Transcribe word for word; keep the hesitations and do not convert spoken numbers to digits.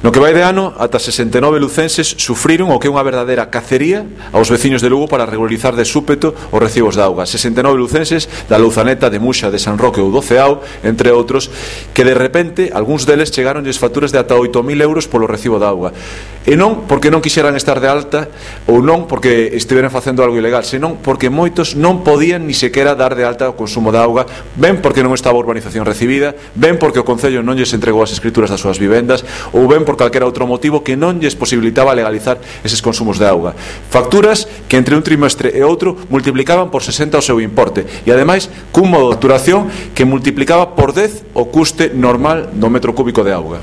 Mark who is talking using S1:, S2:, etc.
S1: No que vai de ano, ata sesenta e nove lucenses sufriron o que é unha verdadeira cacería aos veciños de Lugo para regularizar de súpeto os recibos de auga. sesenta e nove lucenses da Louzaneta, de Muxa, de San Roque ou do Ceao, entre outros, que de repente, algúns deles chegaronlles facturas de ata oito mil euros polo recibo de auga. E non porque non quixeran estar de alta ou non porque estiveran facendo algo ilegal, senón porque moitos non podían ni sequera dar de alta o consumo de auga, ben porque non estaba a urbanización recibida, ben porque o Concello non lles entregou as escrituras das súas vivendas, ou ben por calquera outro motivo que non lles posibilitaba legalizar eses consumos de auga. Facturas que entre un trimestre e outro multiplicaban por sesenta o seu importe e ademais cun modo de facturación que multiplicaba por dez o custe normal do metro cúbico de auga.